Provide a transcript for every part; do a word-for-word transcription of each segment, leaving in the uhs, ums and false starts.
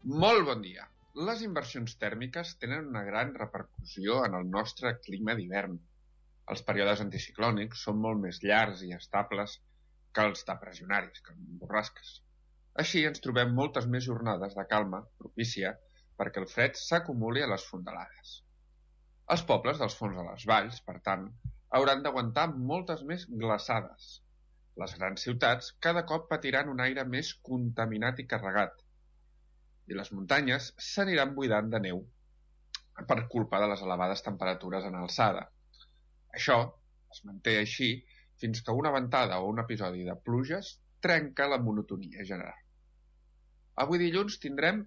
Molt bon dia. Les inversions tèrmiques tenen una gran repercussió en el nostre clima d'hivern. Els períodes anticiclònics són molt més llargs i estables que els depressionaris, que els borrasques. Així ens trobem moltes més jornades de calma propícia perquè el fred s'acumuli a les fondalades. Els pobles dels fons de les valls, per tant, hauran d'aguantar moltes més glaçades. Les grans ciutats cada cop patiran un aire més contaminat i carregat, i les muntanyes s'aniran buidant de neu per culpa de les elevades temperatures en alçada. Això es manté així fins que una ventada o un episodi de pluges trenca la monotonia general. Avui dilluns tindrem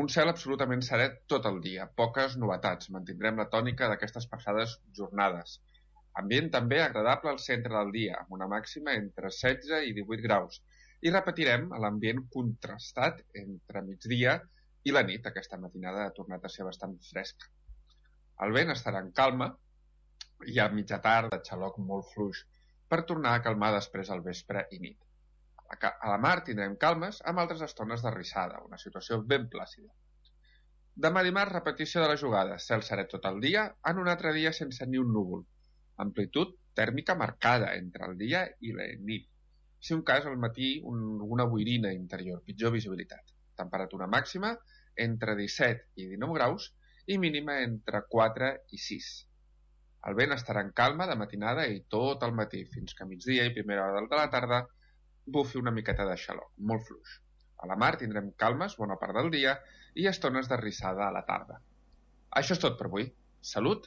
un cel absolutament serè tot el dia, poques novetats, mantindrem la tònica d'aquestes passades jornades. Ambient també agradable al centre del dia, amb una màxima entre setze i divuit graus, i repetirem l'ambient contrastat entre migdia i la nit. Aquesta matinada ha tornat a ser bastant fresca. El vent estarà en calma i a mitja tarda xaloc molt fluix per tornar a calmar després al vespre i nit. A la mar tindrem calmes amb altres estones de rissada, una situació ben plàcida. Demà dimarts, repetició de la jugada, cel serè tot el dia, en un altre dia sense ni un núvol. Amplitud tèrmica marcada entre el dia i la nit. Si un cas, al matí, un, una boirina interior, pitjor visibilitat. Temperatura màxima entre disset i dinou graus i mínima entre quatre i sis. El vent estarà en calma de matinada i tot el matí, fins que a migdia i primera hora de la tarda bufi una miqueta de xaloc, molt fluix. A la mar tindrem calmes bona part del dia i estones de rissada a la tarda. Això és tot per avui. Salut